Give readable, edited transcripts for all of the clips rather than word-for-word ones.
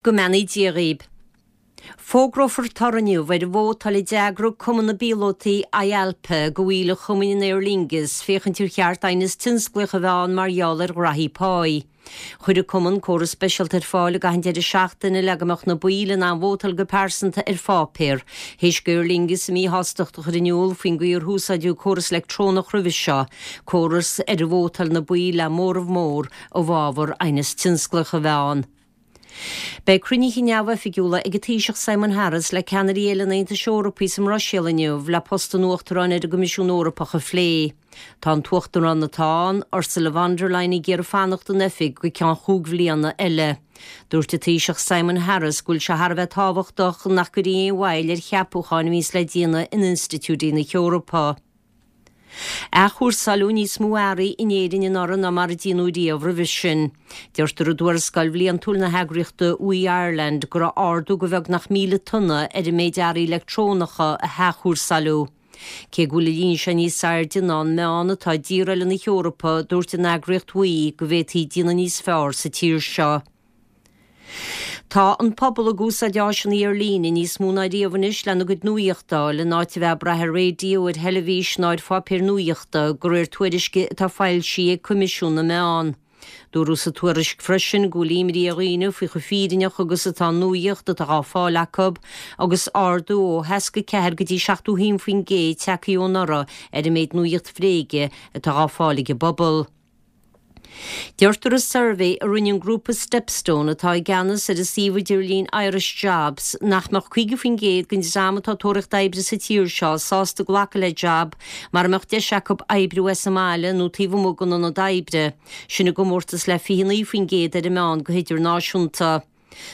Go mbeannaí Dia dhaoib. Fógrófar toradh inniu ar an vótáil a d'eagraigh Cumann na bPíolótaí IALPA do bhaill an chumainn in Aer Lingus féachaint ar cheart aighneas tionsclaíoch a bheith ann mar gheall ar ghraithí páí. Chuir an cumann córas speisialta ar fáil i gcaitheamh an deireadh seachtaine le go mbeadh na baill in ann vótáil go pearsanta ar pháipéar, théis d'Aer Lingus a míshástacht a chur in iúl faoin gcaoi ar húsáideadh córas leictreonach roimhe seo, córas ar vótáil na baill le móramh mór i bhfabhar aighneas tionsclaíoch a bheith ann. Beidh cruinnithe neamhoifigiúla ag an Taoiseach Simon Harris le ceannairí eile an Aontais Eorpaigh sa mBruiséil inniu le post an Uachtaráin ar an gCoimisiún Eorpach a phlé. Tá an tUachtarán atá ann, Ursula von der Leyen ag iarraidh fanacht in oifig go ceann chúig bhliana eile. Dúirt an Taoiseach Simon Harris go bhfuil sé thar a bheith tábhachtach nach gcuirfí aon mhoill ar cheapúcháin a bhíonns le déanamh in institiúidí na hEorpa. Athchúrsáileadh níos mó earraí in Éirinn anuraidh ná mar a déanadh riamh roimhe sin. Deirtear i dtuarascáil bhliantúil na heagraíochta WEEE Ireland go raibh ardú de bheagnach 1,000 tonna ar an méid earraí leictreonacha a hathchúrsáileadh. Cé go bhfuil an líon seo níos airde ná an meán atá i dtíortha eile na hEorpa, dúirt an eagraíocht WEEE go bhféadfaí déanamh níos fearr sa tír seo. Tá an pobal ag úsáid áiseanna ar líne níos mó ná riamh anois lena gcuid nuaíochta a fháil, in áit a bheith ag brath ar raidió, ar theilifís ná ar pháipéir nuaíochta, de réir tuairisce atá foilsithe ag Coimisiún na Meán. Dúradh sa tuairisc freisin go bhfuil imní ar dhaoine faoi chomh fírinneach agus atá an nuaíocht atá á fáil acu, agus ardú ó 64 go dtí 71% tagtha ó anuraidh ar an méid nuaíocht bhréige atá á fáil ag an bpobal. Deirtear i suirbhé a rinne an grúpa Stepstone, atá i gceannas ar an suíomh idirlín Irish Jobs, nach mbeadh 50% den dream atá ag tóraíocht oibre sa tír seo sásta glacadh le jab mara mbeadh deis acu oibriú as an mbaile nó taobh amuigh den ionad oibre, sin i gcomórtas le 29% ar an meán go hidirnáisiúnta.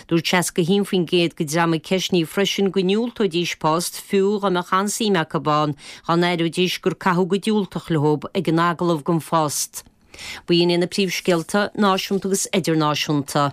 Dúirt 61% den dream a ceistníodh freisin go ndiúltóidís post, fiú dá mbeadh an-suim acu ann, dá n-aireoidís gur caitheadh go diúltach leo ag an agallamh don phost. B'in iad na príomhscéalta, náisiúnta agus idirnáisiúnta.